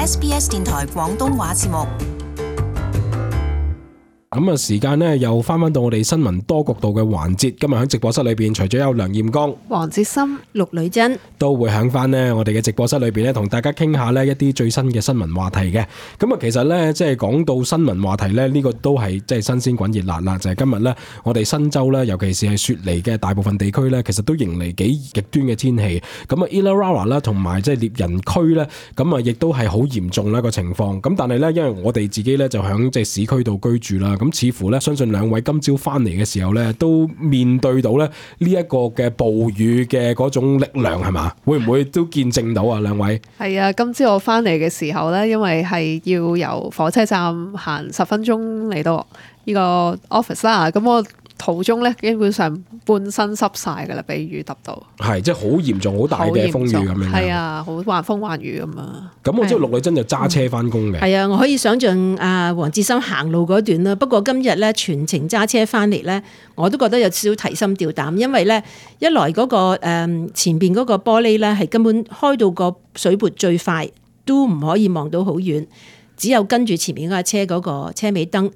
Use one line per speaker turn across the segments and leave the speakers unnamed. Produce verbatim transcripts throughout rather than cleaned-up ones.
S B S 電台廣東話節目。
咁啊，時間呢又翻返到我哋新聞多角度嘅環節。今日喺直播室裏邊，除咗有梁艷剛、
黃哲森、陸女珍，
都會喺翻呢我哋嘅直播室裏邊咧，同大家傾下呢一啲最新嘅新聞話題嘅。咁啊，其實呢，即係講到新聞話題呢，呢、這個都係即係新鮮滾熱辣啦。就係、是、今日呢，我哋新州呢，尤其是係雪梨嘅大部分地區呢，其實都迎嚟幾極端嘅天氣。咁啊 Illawarra 啦，同埋即係獵人區呢，咁啊亦都係好嚴重啦個情況。咁但係呢，因為我哋自己呢，就喺即係市區度居住啦。咁似乎咧，相信兩位今朝翻嚟嘅時候咧，都面對到咧呢一個嘅暴雨嘅嗰種力量係嘛？會唔會都見證到啊？兩位
係啊，今朝我翻嚟嘅時候咧，因為係要由火車站行十分鐘嚟到呢個 office 啦，咁我途中咧基本上半身濕晒噶啦，俾雨揼到。係，
即係好嚴重、好大嘅風雨咁樣。
係啊，好橫風橫雨咁啊。
咁我知道陸女珍就揸車翻工嘅。
係啊，我可以想象啊，黃哲森行路嗰段啦。不過今日咧全程揸車翻嚟咧，我都覺得有少少提心吊膽，因為咧一來嗰、嗰個誒、嗯、前邊嗰個玻璃咧係根本開到個水撥最快都唔可以望到好遠，只有跟住前面嗰架車嗰個車尾燈。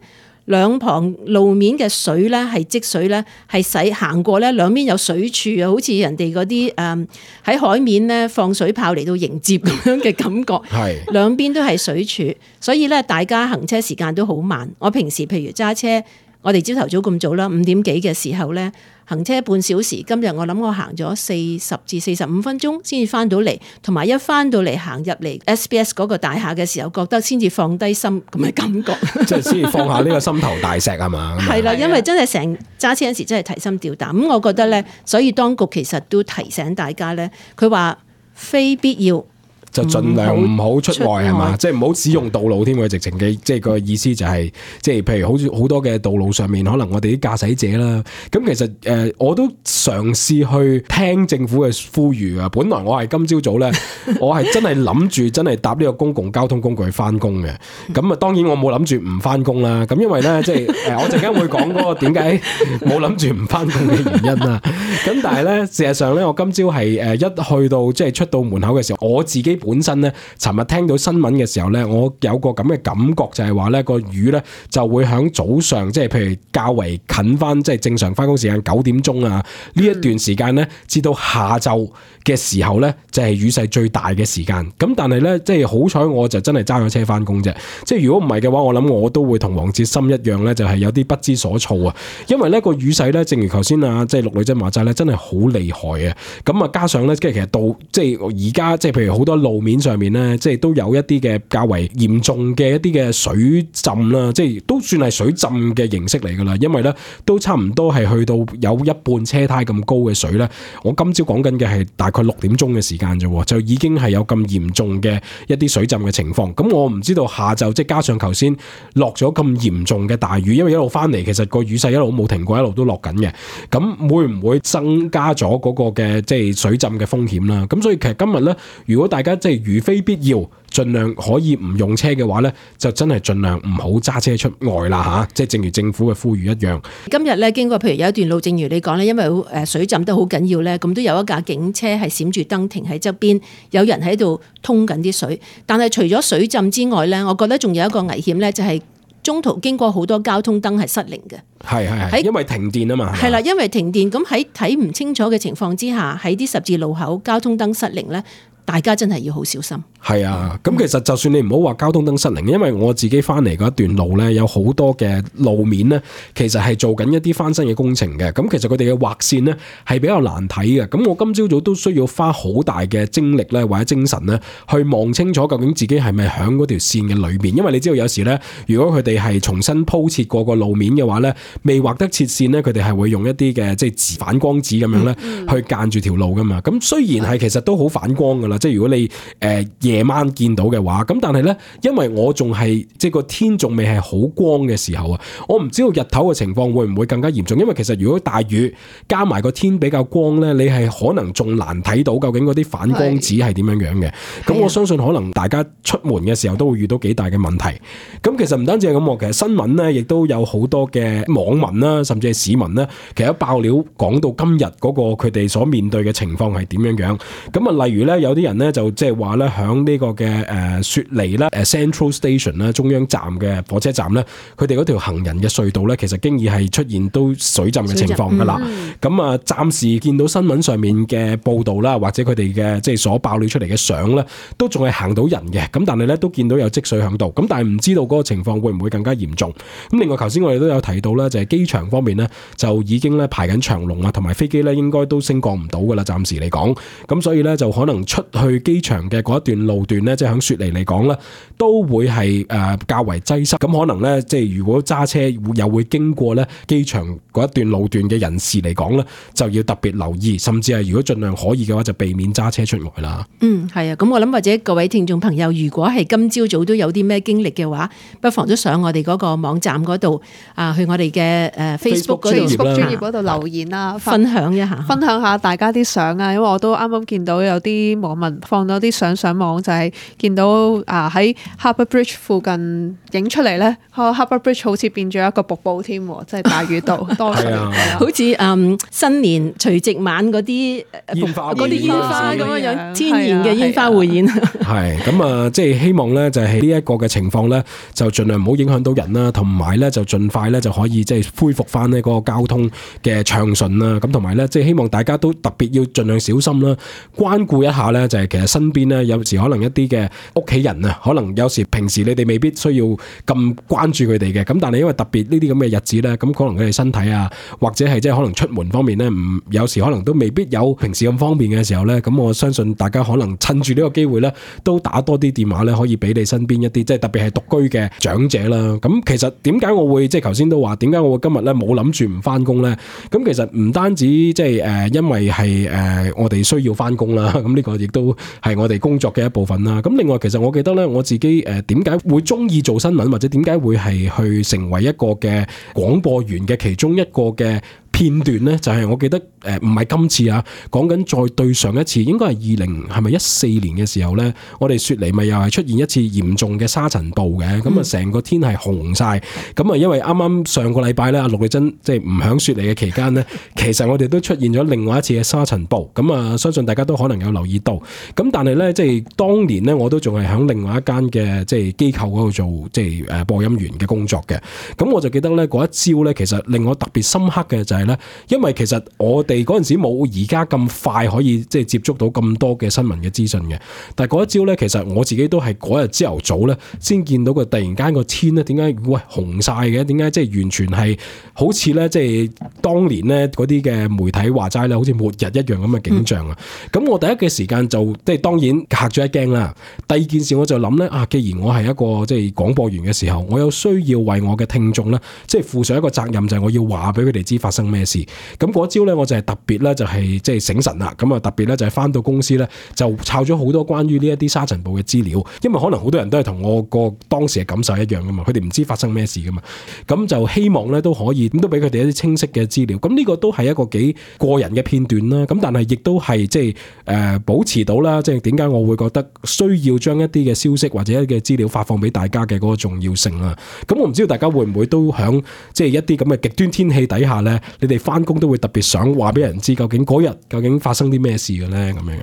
兩旁路面嘅水咧係積水咧係使行過咧兩邊有水柱啊，好似人哋嗰啲誒喺海面咧放水炮嚟到迎接咁樣嘅感覺。係兩邊都係水柱，所以咧大家行車時間都好慢。我平時譬如揸車，我哋朝頭早咁早啦，五點幾嘅時候咧行車半小時。今日我諗我行咗四十至四十五分鐘先至翻到嚟，同埋一翻到嚟行入嚟 S B S 嗰個大廈嘅時候，覺得先至放低心咁嘅感覺，
即係先至放下呢個心頭大石係嘛？
係啦，因為真係成揸車嗰時真係提心吊膽。咁我覺得咧，所以當局其實都提醒大家咧，佢話非必要
就盡量唔好出外係嘛，即係唔好使用道路添。佢直情嘅即係個意思就係、是，即係譬如好似好多嘅道路上面，可能我哋啲駕駛者啦，咁其實誒、呃、我都嘗試去聽政府嘅呼籲啊。本來我係今朝早咧，我係真係諗住真係搭呢個公共交通工具去翻工嘅。咁啊，當然我冇諗住唔翻工啦。咁因為咧，即係誒我陣間會講嗰個點解冇諗住唔翻工嘅原因啦。咁但係咧，事實上咧，我今朝係誒一去到即係出到門口嘅時候，我自己本身咧，尋日聽到新聞嘅時候咧，我有個咁嘅感覺就係話咧，個雨咧就會響早上，即係譬如較為近翻，即係正常翻工時間九點鐘啊呢一段時間咧，至到下晝嘅時候咧，就係雨勢最大嘅時間。咁但係咧，即係好彩我就真係揸咗車翻工啫。即係如果唔係嘅話，我諗我都會同黃哲森一樣咧，就係有啲不知所措啊。因為咧個雨勢咧，正如頭先啊，即係陸女珍話齋咧，真係好厲害啊。咁啊，加上咧，即係其實到即係而家即係譬如好多路面上面咧，即係都有一啲嘅較為嚴重嘅一啲嘅水浸啦，即係都算係水浸嘅形式嚟噶啦。因為咧都差唔多係去到有一半車胎咁高嘅水咧。我今朝講緊嘅係大概六點鐘嘅時間啫，就已經係有咁嚴重嘅一啲水浸嘅情況。咁我唔知道下晝即係加上頭先落咗咁嚴重嘅大雨，因為一路翻嚟其實個雨勢一路冇停過，一路都落緊嘅。咁會唔會增加咗嗰個嘅即係水浸嘅風險啦？咁所以其實今日咧，如果大家即係如非必要，盡量可以唔用車嘅話咧，就真係盡量唔好揸車出外啦吓，即係正如政府嘅呼籲一樣。
今日咧經過譬如有一段路，正如你講咧，因為誒水浸得好緊要咧，咁都有一架警車係閃住燈停喺側邊，有人喺度通緊啲水。但係除咗水浸之外咧，我覺得仲有一個危險咧，就係中途經過好多交通燈係失靈嘅。
係係係，因為停電啊嘛。
係啦，因為停電，咁喺睇唔清楚嘅情況之下，喺啲十字路口交通燈失靈咧，大家真係要好小心。係
啊，咁其實就算你唔好話交通燈失靈，因為我自己翻嚟嗰一段路咧，有好多嘅路面咧，其實係做緊一啲翻新嘅工程嘅。咁其實佢哋嘅劃線咧係比較難睇嘅。咁我今朝早都需要花好大嘅精力咧，或者精神咧，去望清楚究竟自己係咪響嗰條線嘅裏邊。因為你知道有時咧，如果佢哋係重新鋪設過個路面嘅話咧，未畫得切線咧，佢哋係會用一啲嘅即係反光紙咁樣咧，去間住條路噶嘛。咁雖然係其實都好反光噶啦，即係如果你誒、呃、夜晚見到嘅話，咁但係咧，因為我仲係即係個天仲未係好光嘅時候啊，我唔知道日頭嘅情況會唔會更加嚴重。因為其實如果大雨加埋個天比較光咧，你係可能仲難睇到究竟嗰啲反光紙係點樣樣嘅。咁我相信可能大家出門嘅時候都會遇到幾大嘅問題。咁其實唔單止係咁，其實新聞咧亦都有好多嘅網民啦，甚至係市民咧，其實爆料講到今日嗰個佢哋所面對嘅情況係點樣樣。咁啊，例如咧有啲人咧就即係話咧響響呢個嘅誒雪梨啦，誒 Central Station 啦，中央站嘅火車站咧，佢哋嗰條行人嘅隧道咧，其實經已係出現都水浸嘅情況㗎啦。咁啊，暫時見到新聞上面嘅報道啦，或者佢哋嘅即係所爆料出嚟嘅相咧，都仲係行到人嘅。咁但係咧都見到有積水響度。咁但係唔知道嗰個情況會唔會更加嚴重。咁另外頭先我哋都有提到咧，就係機場方面咧就已經咧排緊長龍啊，同埋飛機咧應該都升降唔到㗎啦，暫時嚟講。咁所以咧就可能出去機場嘅嗰一段路段咧，即係響雪梨嚟講咧，都會係誒較為擠塞。咁可能咧，即係如果揸車又會經過咧機場嗰一段路段嘅人士嚟講咧，就要特別留意，甚至係如果盡量可以嘅話，就避免揸車出外啦。
嗯，係啊。咁我諗或者各位聽眾朋友，如果係今朝早都有啲咩經歷嘅話，不妨都上我哋嗰個網站嗰度啊，去我哋嘅誒 Facebook 嗰度
Facebook 專頁嗰度留言啦，
分享一下，
分享下大家啲相啊。因為我都啱啱見到有啲網民放咗啲相上網，就係、是、見到啊喺 Harbour Bridge 附近影出嚟咧，Harbour Bridge 好似變咗一個瀑布添，即係大雨道多水，
啊、
好似嗯新年除夕晚嗰啲
煙花
嗰啲煙花咁樣樣，天然嘅煙花匯演。
係咁啊，即係希望咧，就係呢一個嘅情況咧，就盡量唔好影響到人啦，同埋咧就盡快咧就可以即係恢復翻呢個交通嘅暢順啦。咁同埋咧，即係希望大家都特別要盡量小心啦，關顧一下咧，就係其實身邊咧有時可能一啲嘅屋企人啊，可能有時平時你哋未必需要咁關注佢哋嘅，咁但係因為特別呢啲咁嘅日子咧，咁可能佢哋身體啊，或者係即係可能出門方面咧，唔有時可能都未必有平時咁方便嘅時候咧，咁我相信大家可能趁住呢個機會咧，都打多啲電話咧，可以俾你身邊一啲即係特別係獨居嘅長者啦。咁其實點解我會即係頭先都話點解我會今日咧冇諗住唔翻工咧？咁其實唔單止即係誒，因為係誒我哋需要翻工啦，咁呢個亦都係我哋工作嘅一部分啦。咁另外其實我記得咧，我自己誒點解會中意做新聞，或者點解會係去成為一個嘅廣播員嘅其中一個嘅片段咧，就係、是、我記得誒唔係今次啊，講緊再對上一次，應該係二零係咪一四年嘅時候咧，我哋雪梨咪又係出現一次嚴重嘅沙塵暴嘅，咁啊成個天係紅晒，咁啊因為啱啱上個禮拜咧，阿陸麗珍即係唔響雪梨嘅期間咧，其實我哋都出現咗另外一次嘅沙塵暴，咁啊相信大家都可能有留意到，咁但係咧即係當年咧，我都仲係響另外一間嘅即係機構嗰度做即係誒播音員嘅工作嘅，咁我就記得咧嗰一朝咧，其實令我特別深刻嘅就係、是。因為其實我哋嗰陣時冇而家咁快可以即係接觸到咁多嘅新聞嘅資訊嘅，但係嗰一朝咧，其實我自己都係嗰日朝頭早咧先見到佢突然間個天咧，點解喂紅晒嘅？點解即係完全係好似咧即係當年咧嗰啲嘅媒體話齋咧，好似末日一樣咁嘅景象啊！咁、嗯、我第一嘅時間就即係當然嚇咗一驚啦。第二件事我就諗咧啊，既然我係一個即係廣播員嘅時候，我有需要為我嘅聽眾咧，即係負上一個責任，就係我要話俾佢哋知發生咩事。咁嗰朝咧，我就係特別咧，就係即係醒神啦。咁啊，特別咧就係翻到公司咧，就抄咗好多關於呢一啲沙塵暴嘅資料。因為可能好多人都係同我個當時嘅感受一樣噶嘛，佢哋唔知發生咩事噶嘛。咁就希望咧都可以，咁都俾佢哋一啲清晰嘅資料。咁呢個都係一個幾個人嘅片段啦。咁但係亦都係即係誒保持到啦。即係點解我會覺得需要將一啲嘅消息或者一啲嘅資料發放俾大家嘅嗰個重要性啦。咁我唔知道大家會唔會都響即係一啲咁嘅極端天氣底下咧，你哋翻工都會特別想話俾人知，究竟嗰日究竟發生啲咩事嘅咧？咁樣樣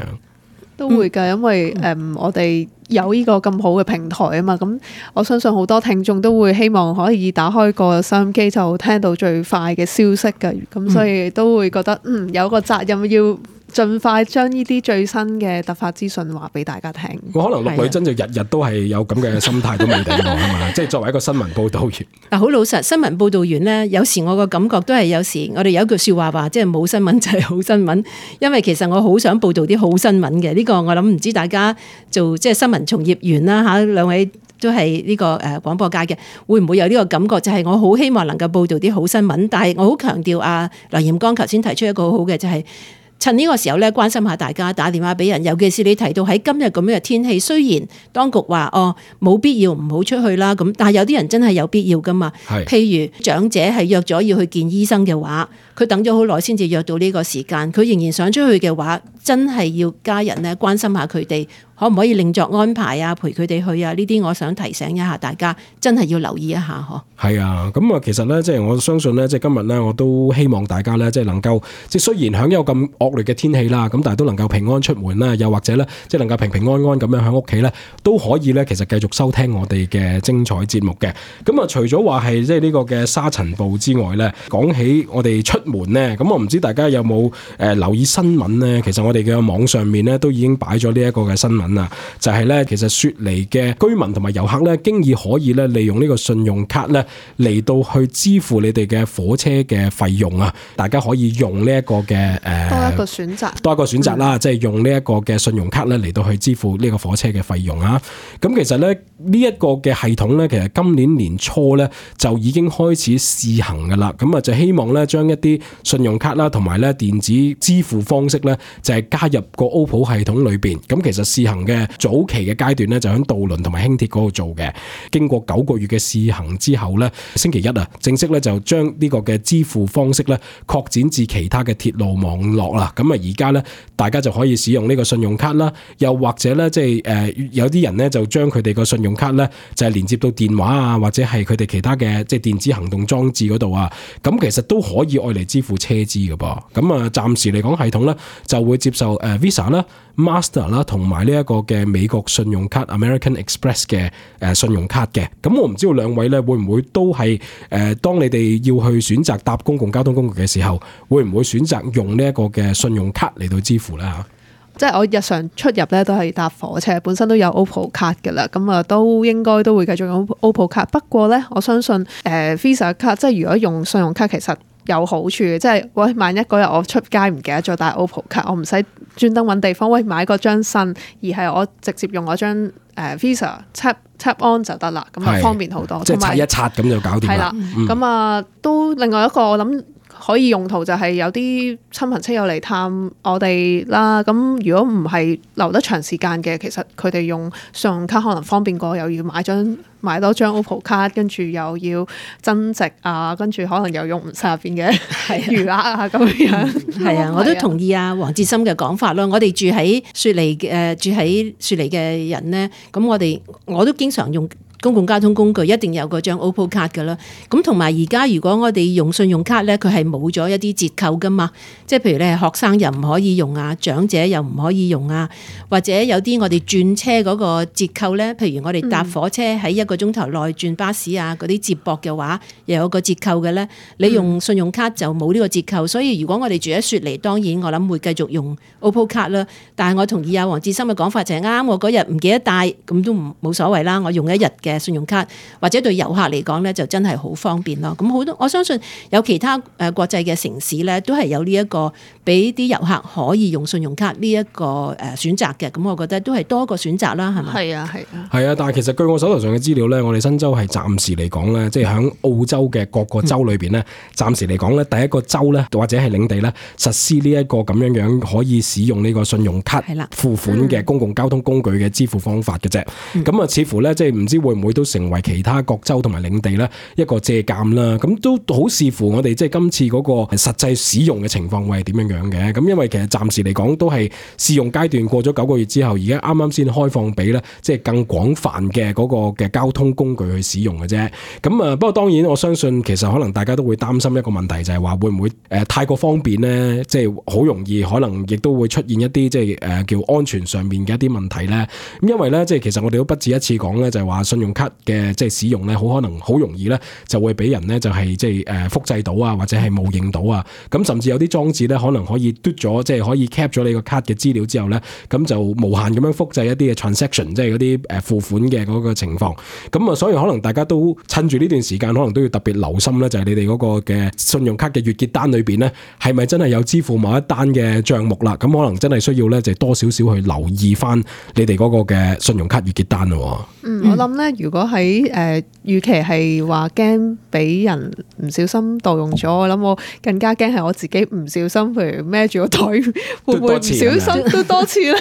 都會㗎，因為誒、嗯、我哋有呢個咁好嘅平台啊嘛，咁我相信好多聽眾都會希望可以打開個收音機就聽到最快嘅消息嘅，咁所以都會覺得嗯有個責任要盡快將呢啲最新嘅突發資訊話俾大家聽。我
可能陸女真就日日都係有咁嘅心態都未定喎，係嘛？即係作為一個新聞報導員。
嗱，好老實，新聞報導員咧，有時我個感覺都係有時我哋有一句説話話，即係冇新聞就係好新聞。因為其實我好想報導啲好新聞嘅，呢、這個我諗唔知大家做即係新聞從業員啦嚇，兩位都係呢個誒廣播界嘅，會唔會有呢個感覺？就係、是、我好希望能夠報導啲好新聞，但係我好強調啊，梁炎剛頭先提出一個好好嘅就係、是。趁呢個時候咧，關心下大家，打電話俾人，尤其是你提到喺今日咁樣嘅天氣，雖然當局話哦冇必要唔好出去啦，咁但係有啲人真係有必要噶嘛。譬如長者係約咗要去見醫生嘅話，佢等咗好耐先至約到呢個時間，佢仍然想出去嘅話，真係要家人咧關心下佢哋，可唔可以另作安排啊？陪佢哋去啊？呢啲我想提醒一下大家，真係要留意一下嗬。
係啊，咁啊，其實咧，即係我相信咧，即係今日咧，我都希望大家咧，即係能夠，即係雖然響有咁惡劣嘅天氣啦，咁但係都能夠平安出門啦，又或者咧，即係能夠平平安安咁樣喺屋企咧，都可以咧，其實繼續收聽我哋嘅精彩節目嘅。咁啊，除咗話係即係呢個嘅沙塵暴之外咧，講起我哋出門咧，咁我唔知大家有冇誒留意新聞咧？其實我哋嘅網上面咧都已經擺咗呢一個嘅新聞啦，就係咧，其實雪梨嘅居民同埋遊客咧，經已可以咧利用呢個信用卡咧嚟到去支付你哋嘅火車嘅費用啊！大家可以用呢一個嘅誒
多一個選擇，
多一個選擇啦，即係、嗯、用呢一個嘅信用卡咧嚟到去支付呢個火車嘅費用啊！咁其實咧呢一個嘅系統咧，其實今年年初咧就已經開始試行噶啦，咁啊就希望咧將一啲信用卡啦同埋咧電子支付方式咧就係加入個 O P P O 系統裏邊。咁其實試行嘅早期嘅階段咧就喺渡輪同埋輕鐵嗰度做嘅，經過九個月嘅試行之後咧，星期一啊正式咧就將呢個嘅支付方式咧擴展至其他嘅鐵路網絡啦。咁啊而家咧大家就可以使用呢個信用卡啦，又或者咧即係誒有啲人咧就將佢哋個信用卡咧就係連接到電話啊，或者係佢哋其他嘅即係電子行動裝置嗰度啊，咁其實都可以愛嚟支付車資嘅噃。咁啊暫時嚟講系統咧就會接受誒 Visa 啦、Master 啦同埋呢一個嘅美國信用卡 American Express 嘅誒信用卡嘅。咁我唔知道兩位咧會唔會都係誒當你哋要去選擇搭公共交通工具嘅時候，會唔會選擇用呢一個嘅信用卡嚟到支付咧嚇？
即係我日常出入咧都係搭火車，本身都有 O P P O 卡嘅啦，咁啊都應該都會繼續用 O P P O 卡。不過咧，我相信誒、呃、Visa 卡，即係如果用信用卡其實有好處嘅，即係喂萬一嗰日我出街唔記得咗帶 O P P O 卡，我唔使專登揾地方喂買嗰張新，而係我直接用嗰張誒 Visa tap tap on 就得啦，咁啊方便好多。
即係刷一刷咁就搞掂啦。係啦，
咁啊、嗯、都另外一個我諗可以用途就係有啲親朋戚友嚟探我哋啦，咁如果唔係留得長時間嘅，其實佢哋用信用卡可能方便過，又要買張買多張 O P P O 卡，跟住又要增值啊，跟住可能又用唔晒入邊嘅餘額啊咁樣。
係啊，我都同意啊黃志森嘅講法咯。我哋住喺雪梨嘅、呃、住喺雪梨嘅人咧，咁我哋我都經常用公共交通工具一定有嗰張 O P P O 卡㗎啦，咁同埋而家如果我哋用信用卡咧，佢係冇咗一啲折扣㗎嘛，即係譬如你係學生又唔可以用啊，長者又唔可以用啊，或者有啲我哋轉車嗰個折扣咧，譬如我哋搭火車喺一個鐘頭內轉巴士啊，嗰啲接駁嘅話又有個折扣嘅咧，你用信用卡就冇呢個折扣，所以如果我哋住喺雪梨，當然我諗會繼續用 O P P O 卡啦。但係我同意啊黃志森嘅講法就係啱，我嗰日唔記得帶咁都唔冇所謂啦，我用一日嘅信用卡，或者對遊客嚟講咧就真係好方便咯。咁好多我相信有其他誒國際嘅城市咧，都係有呢一個俾啲遊客可以用信用卡呢一個誒選擇嘅。咁我覺得都係多個選擇啦，係咪？係
啊，係啊。
係啊，但係其實據我手頭上嘅資料咧，我哋新州係暫時嚟講咧，即係喺澳洲嘅各個州裏邊咧，暫、嗯、時嚟講咧，第一個州咧或者係領地咧實施呢一個咁樣樣可以使用呢個信用卡付款嘅公共交通工具嘅支付方法嘅啫。咁啊、嗯，似乎咧即係唔知會唔會都成為其他各州同埋領地咧一個借鑑啦，咁都好視乎我哋即係今次嗰個實際使用嘅情況會係點樣樣嘅。咁因為其實暫時嚟講都係試用階段，過咗九個月之後，而家啱啱先開放俾咧即係更廣泛嘅嗰個嘅交通工具去使用嘅啫。咁啊，不過當然我相信其實可能大家都會擔心一個問題，就係話會唔會誒太過方便咧，即係好容易可能亦都會出現一啲即係誒叫安全上面嘅一啲問題咧。咁因為咧即係其實我哋都不止一次講咧，就係話信用卡嘅即係使用咧，好可能好容易咧就會俾人咧就係即係誒複製到啊，或者係冒認到啊。咁甚至有啲裝置咧可能可以嘟咗，即係可以 cap 咗你個卡嘅資料之後咧，咁就無限咁樣複製一啲嘅 transaction， 即係嗰啲誒付款嘅嗰個情況。咁啊，所以可能大家都趁住呢段時間，可能都要特別留心咧，就係你哋嗰個嘅信用卡嘅月結單裏邊咧，係咪真係有支付某一單嘅帳目啦？咁可能真係需要咧，就多少少去留意翻你哋嗰個嘅信用卡月結單咯。
嗯，我諗咧，如果喺誒，與其係話驚俾人唔小心盜用咗，我諗我更加驚係我自己唔小心，譬如孭住個袋，會唔會唔小心都多次咧？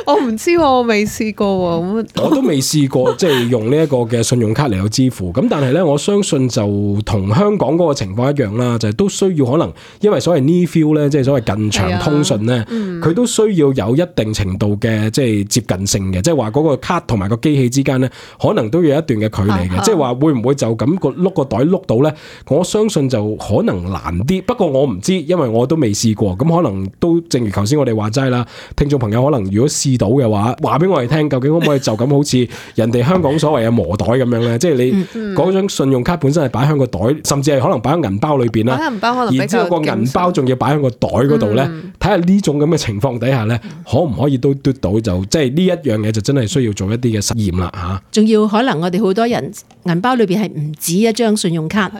我唔知喎，我未試過喎。
我都未試過，即係用呢一個嘅信用卡嚟有支付。咁但係咧，我相信就同香港嗰個情況一樣啦，就係、是、都需要可能，因為所謂 near field 咧，即係所謂近場通訊咧，佢、嗯、都需要有一定程度嘅即係接近性嘅，即係話嗰個卡同埋個機器之間咧，可能都要有一段嘅距離嘅。即係話會唔會就咁個碌個袋碌到咧？我相信就可能難啲。不過我唔知，因為我都未試過。咁可能都正如頭先我哋話齋啦，聽眾朋友可能如果試到嘅話，話俾我哋聽，究竟可唔可以就咁好似人哋香港所謂嘅磨袋咁樣咧？即係你嗰張信用卡本身係擺喺個袋，甚至係可能擺喺銀包裏邊啦。
銀包可能，然之後個
銀包仲要擺喺個袋嗰度咧，睇下呢種咁嘅情況底下咧，可唔可以都嘟到？就即係呢一樣嘢就真係需要做一啲嘅實驗啦嚇。仲
要可能我哋好多人銀包裏邊係唔止一張信用卡。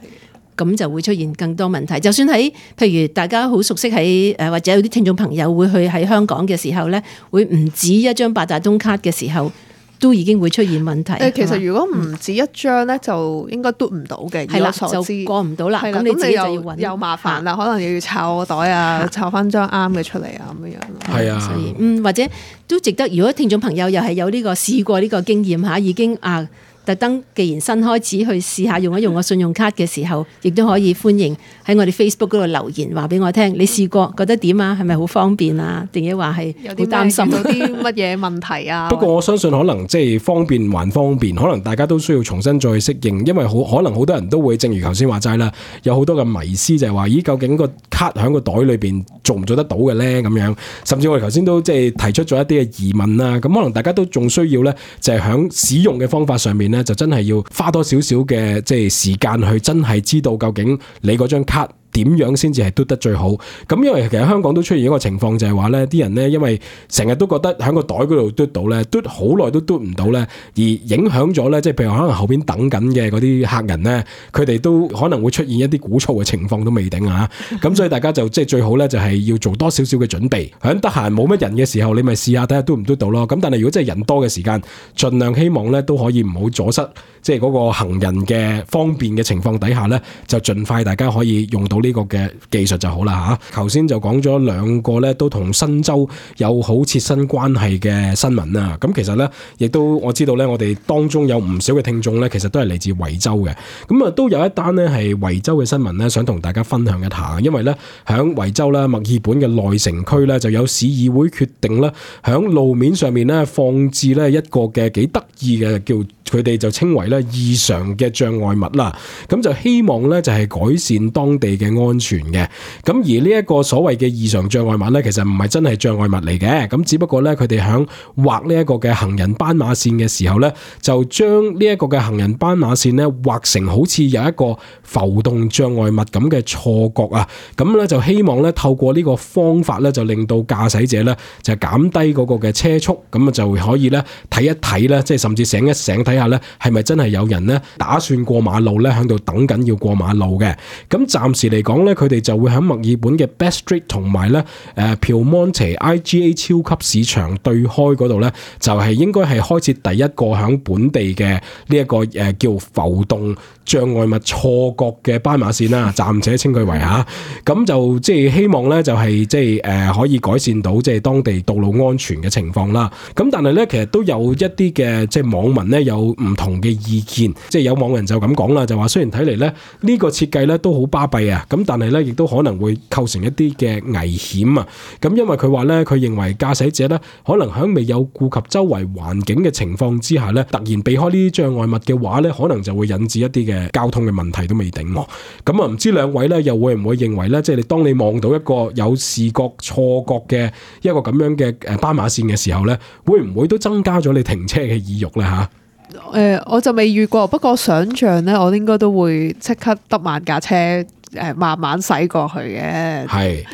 咁就會出現更多問題。就算喺譬如大家好熟悉喺誒，或者有啲聽眾朋友會去喺香港嘅時候咧，會唔止一張八達通卡嘅時候，都已經會出現問題。
誒，其實如果唔止一張咧，就應該嘟唔到嘅。
係啦，就過唔到啦。咁你自己就要揾，
又麻煩啦，可能又要抄個袋啊，抄翻張啱嘅出嚟啊，咁樣樣。
係啊，
所以嗯，或者都值得。如果聽眾朋友又係有呢個試過呢個經驗嚇，已經啊。特登，既然新開始去試下用一用個信用卡嘅時候，亦都可以歡迎喺我哋 Facebook 嗰度留言話俾我聽，你試過覺得點啊？係咪好方便啊？定係話係好擔心
到啲乜嘢問題啊？
不過我相信可能即係方便還方便，可能大家都需要重新再適應，因為好可能好多人都會正如頭先話齋啦，有好多嘅迷思就係話，咦，究竟個卡喺個袋裏邊做唔做得到嘅咧？咁樣，甚至我哋頭先都即係提出咗一啲嘅疑問啦。咁可能大家都仲需要咧，就係喺使用嘅方法上面咧，就真係要花多少少嘅即係時間去真係知道究竟你嗰張卡點樣先至係嘟得最好？咁因為其實香港都出現一個情況，就係話咧，啲人咧因為成日都覺得喺個袋嗰度嘟到咧，嘟好耐都嘟唔到咧，而影響咗咧，即係譬如可能後邊等緊嘅嗰啲客人咧，佢哋都可能會出現一啲鼓噪嘅情況都未定啊！咁所以大家就即係最好咧，就係要做多少少嘅準備，喺得閒冇乜人嘅時候，你咪試下睇下嘟唔嘟到咯。咁但係如果真係人多嘅時間，盡量希望咧都可以唔好阻塞，即係嗰個行人嘅方便嘅情況底下咧，就盡快大家可以用到呢個嘅技術就好啦嚇。頭先就講咗兩個咧，都同新州有好切身關係嘅新聞啦。咁其實咧，亦都我知道咧，我哋當中有唔少嘅聽眾咧，其實都係嚟自維州嘅。咁啊，都有一單咧係維州嘅新聞咧，想同大家分享一下。因為咧，喺維州咧，墨爾本嘅內城區咧，就有市議會決定咧，喺路面上面咧放置咧一個嘅幾得意嘅叫佢哋就稱為咧異常嘅障礙物啦。咁就希望咧就係改善當地嘅安全嘅。咁而呢一個所謂嘅異常障礙物咧，其實唔係真係障礙物嚟嘅。咁只不過咧，佢哋響畫呢一個嘅行人斑馬線嘅時候咧，就將呢一個嘅行人斑馬線咧畫成好似有一個浮動障礙物咁嘅錯覺啊。咁咧就希望咧透過呢個方法咧，就令到駕駛者咧就減低嗰個嘅車速，咁啊就可以咧睇一睇咧，即係甚至醒一醒睇下咧，係咪真係有人咧打算過馬路咧喺度等緊要過馬路嘅。咁暫時嚟講咧，佢哋就會喺墨爾本嘅 Best Street 同埋咧誒 Pyrmont I G A 超級市場對開嗰度咧，就係應該係開設第一個喺本地嘅呢一個誒叫浮動障礙物錯覺嘅斑馬線啦，暫且稱佢為嚇。咁就即係希望咧，就係即係誒可以改善到即係當地道路安全嘅情況啦。咁但係咧，其實都有一啲嘅即係網民咧有唔同嘅意見，即係有網民就咁講啦，就話雖然睇嚟咧呢個設計咧都好巴閉啊，咁但係咧亦都可能會構成一啲嘅危險啊。咁因為佢話咧，佢認為駕駛者咧可能喺未有顧及周圍環境嘅情況之下咧，突然避開呢啲障礙物嘅話咧，可能就會引致一啲嘅交通嘅問題都未定。咁啊，唔知兩位咧又會唔會認為咧，即係你當你望到一個有視覺錯覺嘅一個咁樣嘅誒斑馬線嘅時候咧，會唔會都增加咗你停車嘅意欲咧嚇？
誒、呃，我就未遇過，不過想像咧，我應該都會即刻得慢架車誒、呃，慢慢駛過去嘅。
係。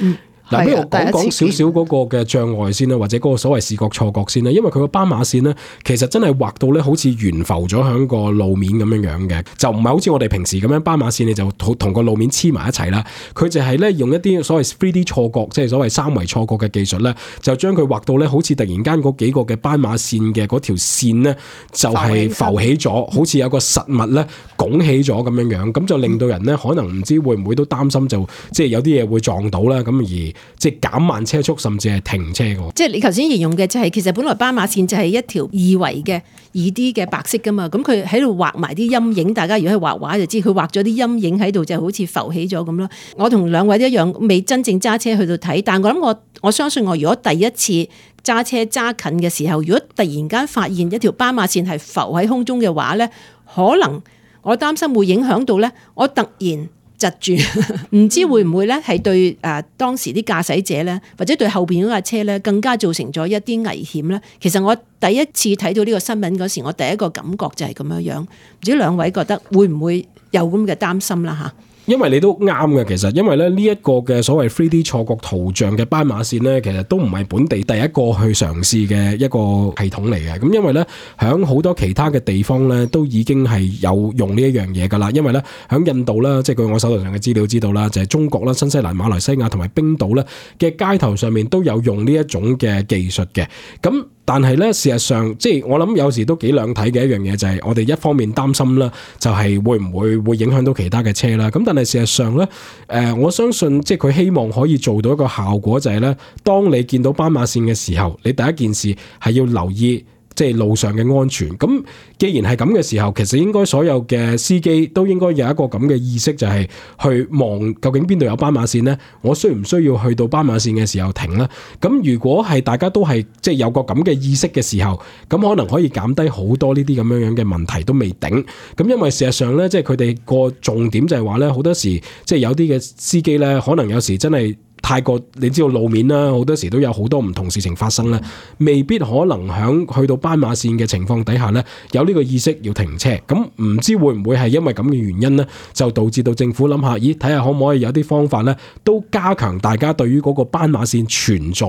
嗱，不如我講講少少嗰個嘅障礙先啦，或者嗰個所謂視覺錯覺先啦。因為佢個斑馬線咧，其實真係畫到咧好似懸浮咗喺個路面咁樣樣嘅，就唔係好似我哋平時咁樣斑馬線你就同個路面黐埋一齊啦。佢就係咧用一啲所謂 三 D 錯覺，即係所謂三維錯覺嘅技術咧，就將佢畫到咧好似突然間嗰幾個嘅斑馬線嘅嗰條線咧，就係浮起咗，好似有個實物咧拱起咗咁樣樣，咁就令到人咧可能唔知會唔會都擔心就即係有啲嘢會撞到啦，咁而即係減慢車速，甚至係停車嘅。即
係你頭先形容嘅就係其實本來斑馬線就係一條二維嘅二 D 嘅白色噶嘛，咁佢喺度畫埋啲陰影，大家如果係畫畫就知佢畫咗啲陰影喺度，就好似浮起咗咁咯。我同兩位一樣未真正揸車去到睇，但我諗我我相信我如果第一次揸車揸近嘅時候，如果突然間發現一條斑馬線係浮喺空中嘅話咧，可能我擔心會影響到咧，我突然窒住，唔知會唔會咧係對誒當時啲駕駛者咧，或者對後邊嗰架車咧，更加造成咗一啲危險咧。其實我第一次睇到呢個新聞嗰時，我第一個感覺就係咁樣樣，唔知兩位覺得會唔會有咁嘅擔心啦嚇？
因為你都啱嘅，其實因為咧呢一個嘅所謂 三 D 錯覺圖像嘅斑馬線咧，其實都唔係本地第一個去嘗試嘅一個系統嚟嘅。咁因為咧響好多其他嘅地方咧，都已經係有用呢一樣嘢噶啦。因為咧響印度啦，即係據我手頭上嘅資料知道啦，就係中國啦、新西蘭、馬來西亞同埋冰島咧嘅街頭上面都有用呢一種嘅技術嘅。咁但係咧，事實上即係我諗有時都幾兩睇嘅一樣嘢，就係我哋一方面擔心啦，就係會唔會會影響到其他嘅車啦。咁但係事實上咧，誒我相信即係佢希望可以做到一個效果，就係咧，當你見到斑馬線嘅時候，你第一件事係要留意即係路上嘅安全。咁既然係咁嘅時候，其實應該所有嘅司機都應該有一個咁嘅意識，就係去望究竟邊度有斑馬線呢？我需唔需要去到斑馬線嘅時候停呢？咁如果係大家都係即係有個咁嘅意識嘅時候，咁可能可以減低好多呢啲咁樣樣嘅問題都未定。咁因為事實上呢，即係佢哋個重點就係話呢，好多時即係有啲嘅司機呢，可能有時真係太過，你知道路面啦，好多時都有好多唔同事情發生啦，未必可能響去到斑馬線嘅情況底下呢，有呢個意識要停車。咁唔知會唔會係因為咁嘅原因呢，就導致到政府諗下，咦，睇下可唔可以有啲方法呢，都加強大家對於嗰個斑馬線存在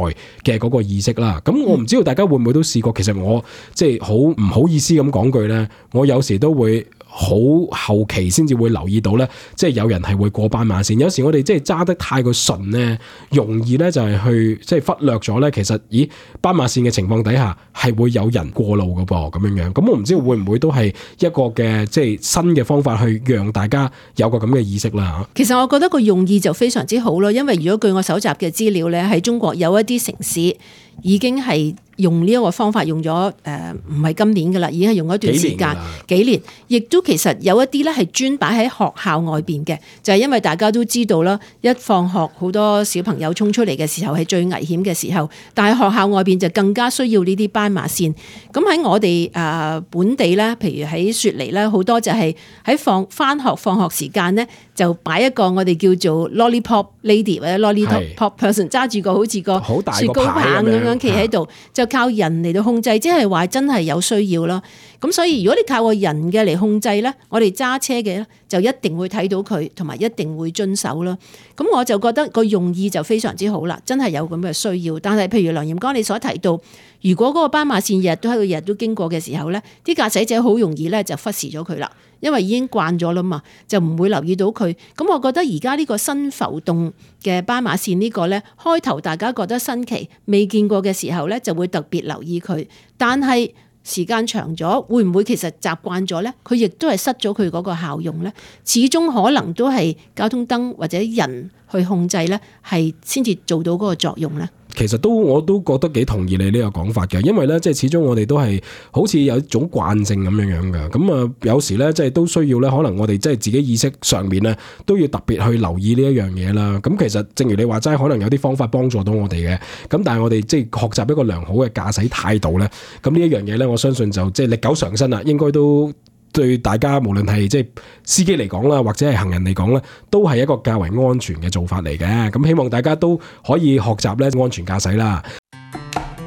嘅嗰個意識啦。咁我唔知道大家會唔會都試過，其實我即係好唔好意思咁講句呢，我有時都會好後期先至會留意到呢，即係有人係會過斑馬線。有時我哋即係揸得太過順呢，容易呢就係去即係忽略咗呢。其實咦，斑馬線嘅情況底下係會有人過路㗎噃，咁樣樣。咁我唔知會唔會都係一個嘅即係新嘅方法去讓大家有個咁嘅意識啦。
其實我覺得個用意就非常之好咯，因為如果據我搜集嘅資料呢，喺中國有一啲城市已經係用呢一個方法用咗誒，唔係今年噶啦，已經係用咗一段時間幾年，亦都其實有一啲咧係專擺喺學校外邊嘅，就係、是、因為大家都知道啦，一放學好多小朋友衝出嚟嘅時候係最危險嘅時候，但係學校外邊就更加需要呢啲斑馬線。咁喺我哋誒本地咧，譬如喺雪梨咧，好多就係喺放翻學放學時間咧，就擺一個我哋叫做 lollipop lady 或者 lollipop person 揸住個好似個雪糕棒咁樣企喺度，就靠人嚟到控制，即係話真係有需要啦。咁所以如果你靠個人嘅嚟控制咧，我哋揸車嘅咧就一定會睇到佢，同埋一定會遵守啦。咁我就覺得個用意就非常之好啦，真係有咁嘅需要。但係譬如梁炎剛你所提到，如果嗰個斑馬線日日都喺度，日日都經過嘅時候咧，啲駕駛者好容易咧就忽視咗佢啦，因為已經慣咗啦嘛，就唔會留意到佢。咁我覺得而家呢個新浮動嘅斑馬線呢個咧，開頭大家覺得新奇，未見過嘅時候咧，就會特別留意佢。但係時間長咗，會唔會其實習慣咗咧？佢亦都係失咗佢嗰個效用咧。始終可能都係交通燈或者人去控制咧，係先至做到嗰個作用咧。
其實都我都覺得幾同意你呢個講法嘅，因為咧即係始終我哋都係好似有一種慣性咁樣樣嘅，咁啊有時咧即係都需要咧，可能我哋即係自己意識上面咧都要特別去留意呢一樣嘢啦。咁其實正如你話齋，可能有啲方法幫助到我哋嘅，咁但係我哋即係學習一個良好嘅駕駛態度咧，咁呢一樣嘢咧，我相信就即係歷久常新啦，應該都對大家無論係即係司機嚟講啦，或者係行人嚟講咧，都係一個較為安全嘅做法嚟嘅。咁希望大家都可以學習咧安全駕駛啦。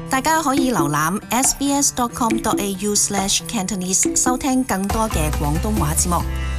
大家可以瀏覽 s b s dot com dot a u slash cantonese 收聽更多嘅廣東話節目。